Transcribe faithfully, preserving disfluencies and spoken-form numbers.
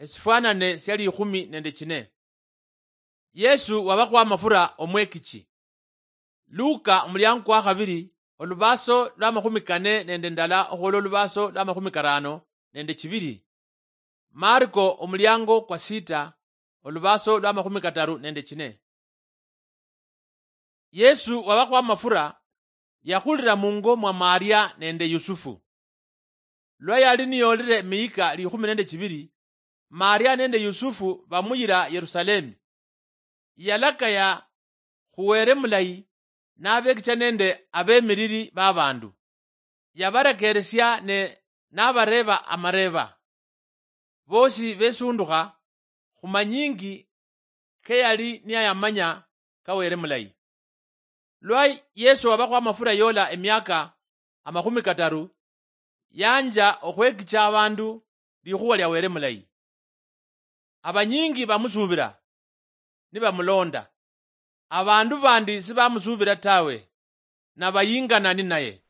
Esifwanane sia likhumi nende chine. Yesu wabakhwa amafura omwekichi. Luka omuliango kwa khabiri, olubaso lwa makhumi kane nende ndala okhwola olubaso lwa makhumi karano nende chibiri. Marko omuliango kwa sita, olubaso lwa makhumi kataru nende chine. Yesu wabakhwa amafura yakhulira mungo mwa Maria nende Yusufu. Lwa yali niyolire emiyika likhumi nende chibiri, Maria nende Yusufu bamuyira Yerusalemi. Yalakaya khuwere mulayi nabekicha nende abemiriri babandu. Yabarekeresia ne nabareba amareba. Bosi besundukha khumanyingi keyali niyayamanya kawere mulayi. Lwa Yesu wabakhwa amafura yola emiaka amakhumi kataru, yanja okhwekicha abandu likhuwa lia Were mulayi. Abanyingi bamusubira, nibamulonda. Abandu bandi sibamusubira tawe, nabayingana ninaye.